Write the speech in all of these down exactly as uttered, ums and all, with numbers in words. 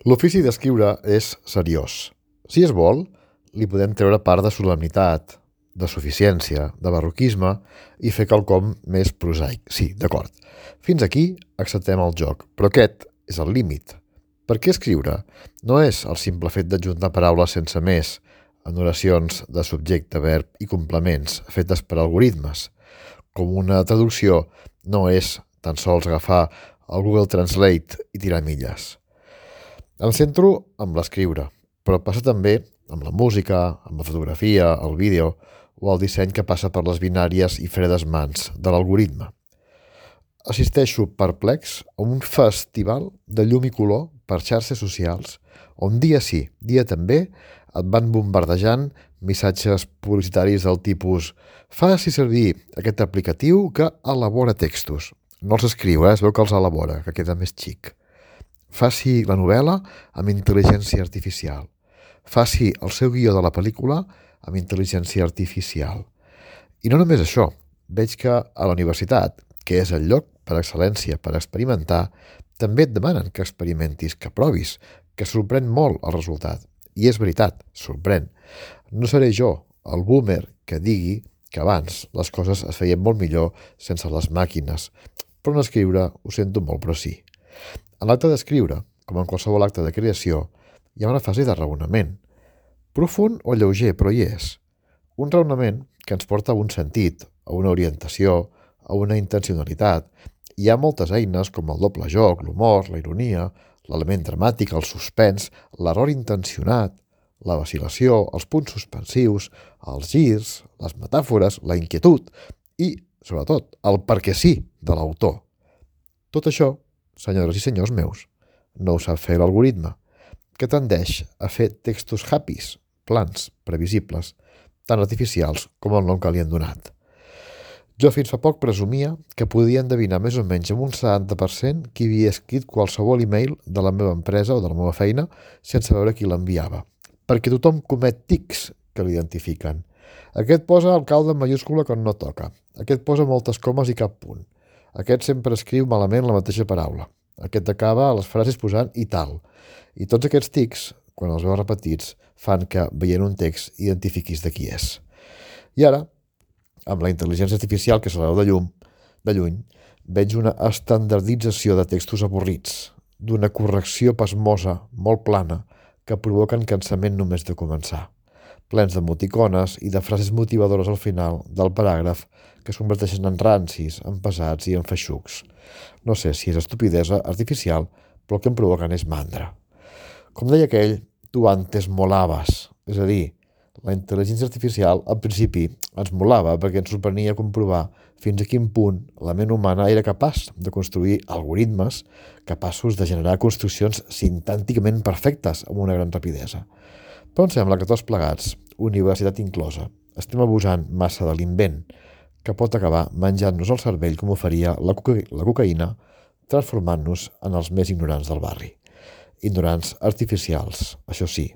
L'ofici d'escriure és seriós. Si es vol, li podem treure part de solemnitat, de suficiència, de barroquisme i fer quelcom més prosaic. Sí, d'acord. Fins aquí acceptem el joc, però aquest és el límit. Per què escriure? No és el simple fet d'adjuntar paraules sense més en oracions de subjecte, verb i complements fetes per algoritmes. Com una traducció no és tan sols agafar el Google Translate i tirar milles. Em centro amb l'escriure, però passa també amb la música, amb la fotografia, el vídeo o el disseny que passa per les binàries i fredes mans de l'algoritme. Assisteixo perplex a un festival de llum i color per xarxes socials on dia sí, dia també et van bombardejant missatges publicitaris del tipus «Faci servir aquest aplicatiu que elabora textos». No els escriu, eh? Es veu que els elabora, que queda més xic. Faci la novel·la amb intel·ligència artificial. Faci el seu guió de la pel·lícula amb intel·ligència artificial. I no només això, veig que a la universitat, que és el lloc per excel·lència per experimentar, també et demanen que experimentis, que provis, que sorprèn molt el resultat. I és veritat, sorprèn. No seré jo, el boomer, que digui que abans les coses es feien molt millor sense les màquines, però en escriure ho sento molt, però sí. En l'acte d'escriure, com en qualsevol acte de creació, hi ha una fase de raonament. Profund o lleuger, però hi és. Un raonament que ens porta a un sentit, a una orientació, a una intencionalitat. Hi ha moltes eines com el doble joc, l'humor, la ironia, l'element dramàtic, el suspens, l'error intencionat, la vacil·lació, els punts suspensius, els girs, les metàfores, la inquietud i, sobretot, el perquè sí de l'autor. Tot això, senyores i senyors meus, no ho sap fer l'algoritme, que tendeix a fer textos happys, plans, previsibles, tan artificials com el nom que li han donat. Jo fins fa poc presumia que podia endevinar més o menys amb un setanta per cent qui havia escrit qualsevol e-mail de la meva empresa o de la meva feina sense veure qui l'enviava, perquè tothom comet tics que l'identifiquen. Aquest posa alcalde en mayúscula quan no toca, aquest posa moltes comes i cap punt, aquest sempre escriu malament la mateixa paraula, aquest acaba les frases posant i tal, i tots aquests tics, quan els veus repetits, fan que, veient un text, identifiquis de qui és. I ara, amb la intel·ligència artificial que se la veu de llum, de lluny, veig una estandardització de textos avorrits, d'una correcció pasmosa, molt plana, que provoquen cansament només de començar, plens d'emoticones i de frases motivadores al final del paràgraf que es converteixen en rancis, en pesats i en feixucs. No sé si és estupidesa artificial, però el que em provoquen és mandra. Com deia aquell, tu antes molaves, és a dir, la intel·ligència artificial, al principi, ens molava perquè ens sorprenia comprovar fins a quin punt la ment humana era capaç de construir algoritmes capaços de generar construccions sintànticament perfectes amb una gran rapidesa. Però em sembla que tots plegats, universitat inclosa, estem abusant massa de l'invent, que pot acabar menjant-nos el cervell com ho faria la, coca la cocaïna, transformant-nos en els més ignorants del barri. Ignorants artificials, això sí.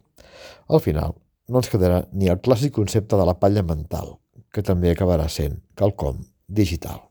Al final, no ens quedarà ni el clàssic concepte de la palla mental, que també acabarà sent quelcom digital.